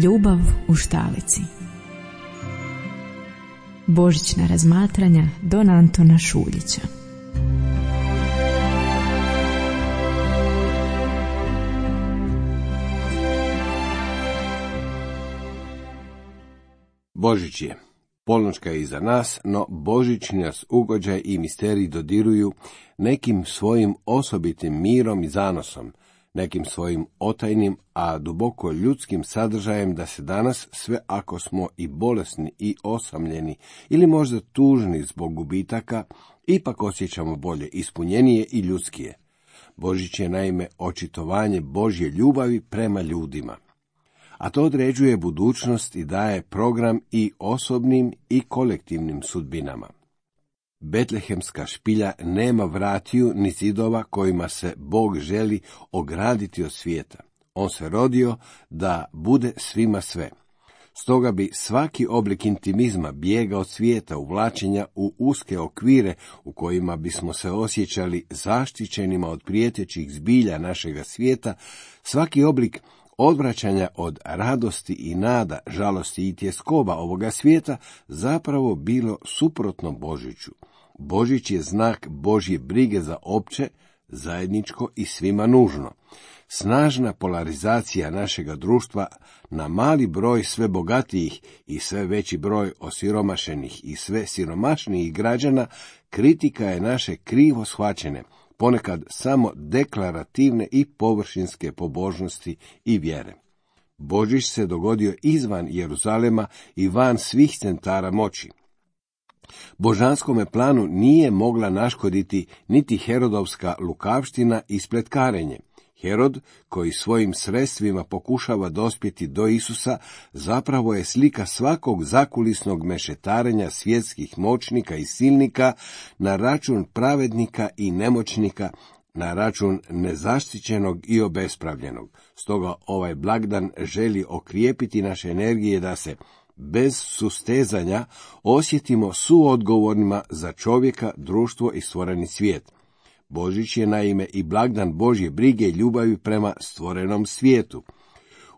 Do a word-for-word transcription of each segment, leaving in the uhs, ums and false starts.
Ljubav u štalici. Božićna razmatranja don Antona Šuljića. Božić je. Polnoćka je iza nas, no božićni nas ugođaj i misterij dodiruju nekim svojim osobitim mirom i zanosom, nekim svojim otajnim, a duboko ljudskim sadržajem da se danas, sve ako smo i bolesni i osamljeni ili možda tužni zbog gubitaka, ipak osjećamo bolje, ispunjenije i ljudskije. Božić je naime očitovanje Božje ljubavi prema ljudima. A to određuje budućnost i daje program i osobnim i kolektivnim sudbinama. Betlehemska špilja nema vratiju ni zidova kojima se Bog želi ograditi od svijeta. On se rodio da bude svima sve. Stoga bi svaki oblik intimizma, bijega od svijeta, uvlačenja u uske okvire u kojima bismo se osjećali zaštićenima od prijetećih zbilja našega svijeta, svaki oblik odvraćanja od radosti i nada, žalosti i tjeskoba ovoga svijeta zapravo bilo suprotno Božiću. Božić je znak Božje brige za opće, zajedničko i svima nužno. Snažna polarizacija našega društva na mali broj sve bogatijih i sve veći broj osiromašenih i sve siromašnijih građana kritika je naše krivo shvaćene, ponekad samo deklarativne i površinske pobožnosti i vjere. Božić se dogodio izvan Jeruzalema i van svih centara moći. Božanskome planu nije mogla naškoditi niti Herodovska lukavština i spletkarenje. Herod, koji svojim sredstvima pokušava dospjeti do Isusa, zapravo je slika svakog zakulisnog mešetarenja svjetskih moćnika i silnika na račun pravednika i nemoćnika, na račun nezaštićenog i obespravljenog. Stoga ovaj blagdan želi okrijepiti naše energije da se, bez sustezanja, osjetimo suodgovornima za čovjeka, društvo i stvoreni svijet. Božić je naime i blagdan Božje brige i ljubavi prema stvorenom svijetu.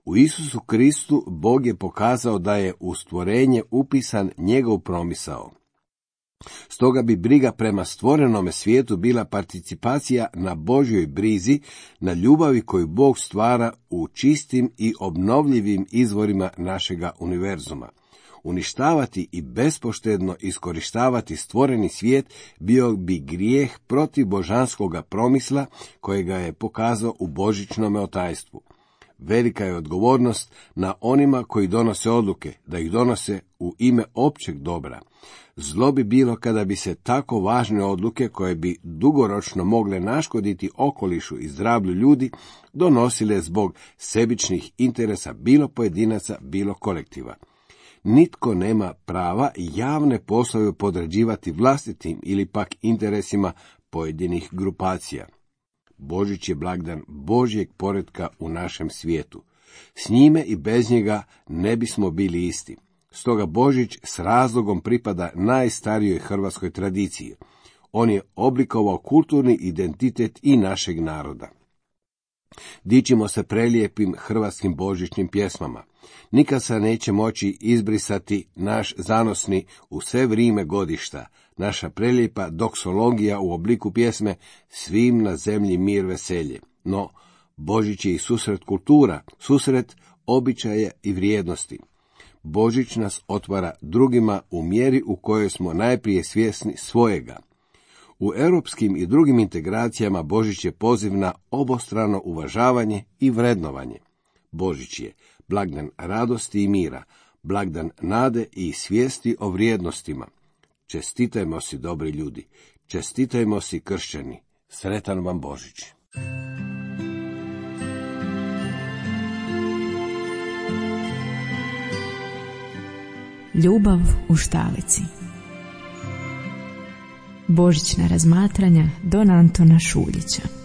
U Isusu Kristu Bog je pokazao da je u stvorenje upisan njegov promisao. Stoga bi briga prema stvorenome svijetu bila participacija na Božjoj brizi, na ljubavi koju Bog stvara u čistim i obnovljivim izvorima našega univerzuma. Uništavati i bespoštedno iskorištavati stvoreni svijet bio bi grijeh protiv božanskoga promisla kojega je pokazao u božićnome otajstvu. Velika je odgovornost na onima koji donose odluke, da ih donose u ime općeg dobra. Zlo bi bilo kada bi se tako važne odluke, koje bi dugoročno mogle naškoditi okolišu i zdravlju ljudi, donosile zbog sebičnih interesa bilo pojedinaca, bilo kolektiva. Nitko nema prava javne poslove podređivati vlastitim ili pak interesima pojedinih grupacija. Božić je blagdan Božjeg poretka u našem svijetu. S njime i bez njega ne bismo bili isti. Stoga Božić s razlogom pripada najstarijoj hrvatskoj tradiciji. On je oblikovao kulturni identitet i našeg naroda. Dičimo se prelijepim hrvatskim božićnim pjesmama. Nikad se neće moći izbrisati naš zanosni u sve vrijeme godišta, naša prelijepa doksologija u obliku pjesme Svim na zemlji mir veselje. No, Božić je i susret kultura, susret običaja i vrijednosti. Božić nas otvara drugima u mjeri u kojoj smo najprije svjesni svojega. U europskim i drugim integracijama Božić je poziv na obostrano uvažavanje i vrednovanje. Božić je blagdan radosti i mira, blagdan nade i svijesti o vrijednostima. Čestitajmo si, dobri ljudi, čestitajmo si, kršćani. Sretan vam Božić. Ljubav u štalici. Božićna razmatranja don Antona Šuljića.